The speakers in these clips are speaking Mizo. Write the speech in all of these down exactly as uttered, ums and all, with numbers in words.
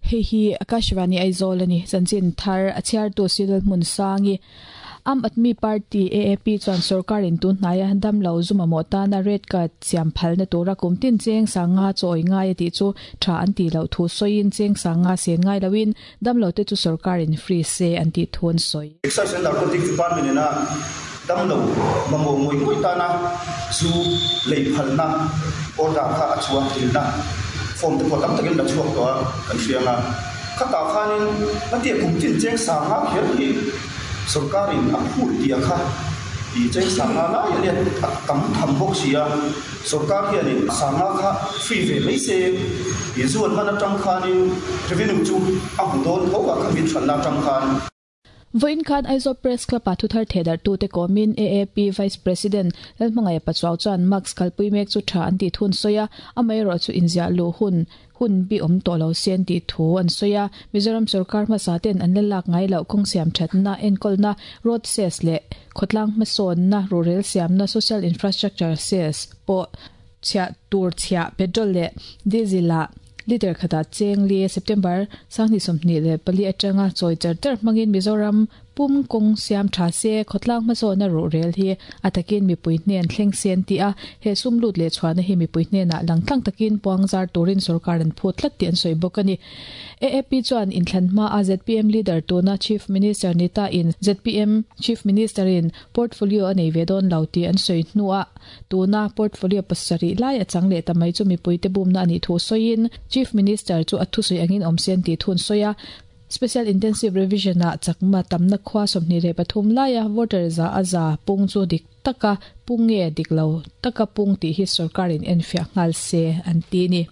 Hei hi Akashvani Aizawl ani chanchin thar a chhiartu Silal hmun sangi Aam Aadmi Party A A P chuan sorkarin tun hnaia damlo zu mamawh tana red card siam phalna tura kum tin cheng sanga chawi ngai a tih chu tha an tih loh thu sawiin cheng sanga sen ngai loin damlo te chu sorkarin free se an tih thu an sawi. Excise and Narcotics Department ina damlo mamawh ngawih ngawih tana zu lei phalna order kha a chhuah dilna form te pawh tam takin la chhuak tawh a kan hria anga khatah khanin ngatia kum tin cheng sanga kher hi sorkarin a phut tia kha i cheng sanga lai ania a tam tham bawk si a sorkar hianin sanga kha free ve mai se i zuan man atang khanin revenue chu a hmu dawn tho a khamin hranna atang khan. Vawiin khan Aizawl Press Club ah thuthar thedar tu te kawmin A A P Vice President Lalhmangaih Pachuau chuan mask kalpui mek chu tha an tih thun sawi a amaherawh chu inziah luh hun hun bi awm tawh lo se an tih thu an sawi a. Mizoram sorkar hmasa ten an la lak ngai loh kawng siam thatna enkawlna road cess leh khawtlang hmasawnna rurel siamna social infrastructure cess pawh chhiah tur chhiah petrol leh diesel ah liter khatah cheng li September sanghnih sawmhnih leh pali atanga chawi char char hmangin Mizoram pum kawng siam tha se khawtlang hmasawnna rurel hi a takin mipui hnen thleng se an ti a. He sum lut leh chhuahna hi mipui hnenah langtlang takin puang zar turin sorkar an phut tlat tih an sawi bawk ani. A A P chuan inthlan hma a Z P M leader tuna Chief Minister nita in Z P M Chief Minister in portfolio a nei ve dawn lo tih an sawi hnuah tuna portfolio pasarih lai a chang leh ta mai chu mipui te bumna ani thu sawiin Chief Minister chu a thu sawi angin awm se an tih thun sawi a. Special Intensive Revision ah chakma tamna khua sawmhnih leh pathum laia voter za a za pung chu dik taka pung nge dik lo taka pung tih hi sorkarin enfiah nghal se an ti ni.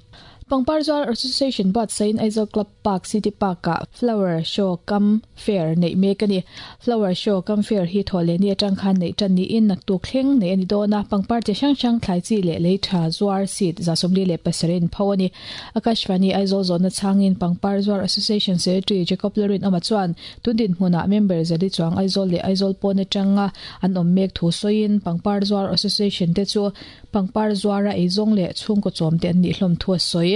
Pangpar Zuar Association buatsain Aizawl Club Park City Park ah Flower Show Cum Fair neih mek ani. Flower Show Cum Fair hi thawhlehni atang khan neih tan niin naktuk thleng nei ani dawn a. Pangpar chi hrang hrang thlai chi leh lei tha zuar seat za sawmli leh pasarih in pho ani. Akashvani Aizawl zawhna chhangin Pangpar Zuar Association Secretary Jacob Lorin awma chuan tundin hmunah member zali chuang Aizawl leh Aizawl pawn atanga an awm mek thu sawiin Pangpar Zuar Association te chu Pangpar zuara eizawng leh chhungkaw chawm te an nih hlawm thu a sawi.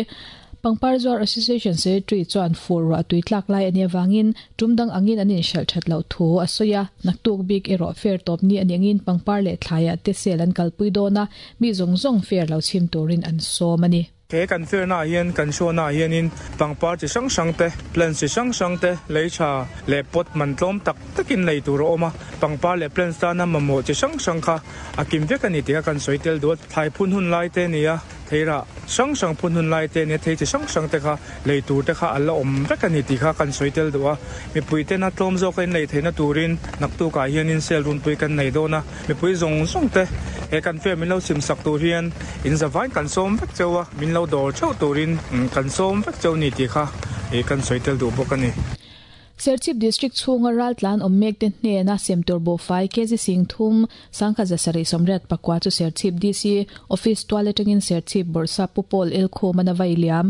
Pangpar Zuar Association Secretary chuan fur ruah tui tlak lai ani awangin tumdang angin an inhralh that loh thu a sawi a. Naktuk bik erawh fair tawp ni ani angin pangpar leh thlaiah te sale an kalpui dawn a mi zawng zawng fair lo chhim turin an sawm ani. He kan fair na hian kan show na hianin pangpar chi hrang hrang te plants chi hrang hrang te lei tha leh pot man tlawm tak takin lei tur a awm a pangpar leh plants tana mamawh chi hrang hrang kha a kim vek ani tih kha kan sawi tel duh a. Thlai phun hun lai te ni a theira hrang hrang phun hun lai te ni a thei chi hrang hrang te kha lei tur te kha a la awm vek ani tih kha kan sawi tel duh a. Mipui tena tlawm zawk a in lei theihna turin naktukah hianin sale runpui kan nei dawn a mipui zawng zawng te he kan fair min lo sim sak tur hian in zavain kan sawm vek cheu a min lo dawr theuh turin kan sawm vek cheu ni tih kha kan sawi tel duh bawk ani. Serchhip District chhunga raltlan awm mek te hnena semtur buhfai kg sing thum sangkhat zasarih sawmriat pakua chu Serchhip D C Office tual atangin Serchhip Bawrhsap Pu Paul Elkhum an a vai liam.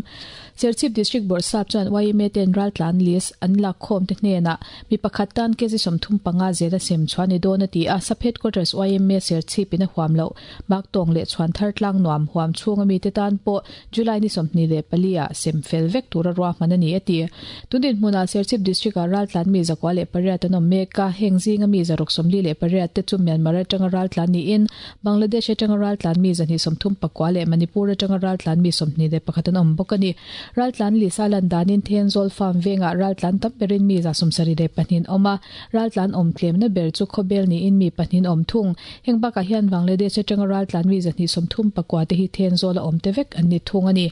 Serchhip District Bawrhsap chuan Y M A ten raltlan list an lak khawm te hnena mi pakhat tan kg sawmthum panga zela sem chuan ni dawn a ti a. Sub Headquarters Y M A Serchhip in a huam lo baktawng leh chhuan thar tlang nuam huam chhunga mi te tan pawh July ni sawmhnih leh pali ah sem fel vek tura ruahman ani a ti. Tundin hmunah Serchhip District ah raltlan mi zakua leh pariat an awm mek a heng zinga mi zaruk sawmli leh pariat te chu Myanmar atanga raltlan niin Bangladesh atanga raltlan mi zahnih sawmthum pakua leh Manipur atanga raltlan mi sawmhnih leh pakhat an awm bawk ani. Raltlan lisa lan danin Thenzawl farm vengah raltlan tam berin mi za sawmsarih leh pahnih awm a raltlan awm tlemna ber chu khawbel niin mi pahnih awm thung. Heng bakah hian Bangladesh atanga raltlan mi zahnih sawmthum pakua te hi Thenzawl a awm te vek an ni thung ani.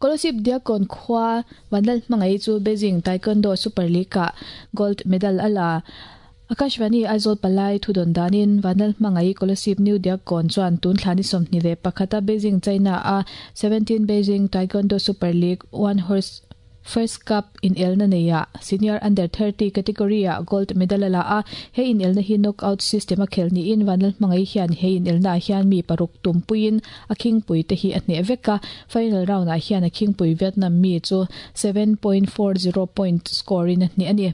Kolasib Diakkawn khua Vanlal hmangai chu Beijing Taekwondo Super League ah gold medal ala. Akashvani Aizawl palai thudon danin Vanlal hmangai Kolasib New Diakkawn chuan tun thlani sawmhnih leh pakhata Beijing China a seventeen Beijing Taekwondo Super League One Horse First Cup in elna neia senior under thirty category ah gold medal ala a. He in elna hi knockout system a khel ni in Vanlal hmangai hian he in elna hian mi paruk tumpuin a khingpui te hi a hne veka. Final round ah hian a khingpui Vietnam mi chu seven point four zero point score in a hne ani.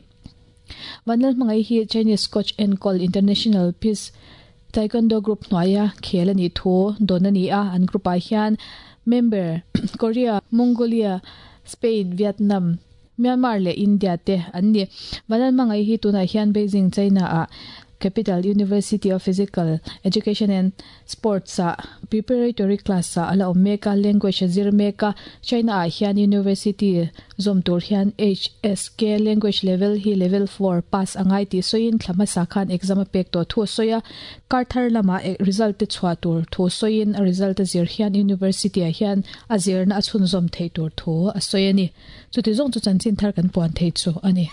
Vanlal hmangai hi Chinese coach enkol International Peace Taekwondo Group hnuaia khel ani thu don ani a. An group ah hian member Korea, Mongolia, Spain, Vietnam, Myanmar leh India te an ni. Vanlalhmangaihi hi tunah hian Beijing, China ah Capital University of Physical Education and Sports ah preparatory class ah ala awm mek a, language a zir mek a. China ah hian university zawm tur hian H S K language level hi level four pass angai tih sawiin thla hmasa khan exam a pek tawh thu a sawi a. Kar thar lamah result te chhuah tur thu sawiin a result a zir hian university ah hian a zirna a chhunzawm theih tur thu a sawi a ni. Chuti zawng chu chanchin thar kan puan thei chu a ni.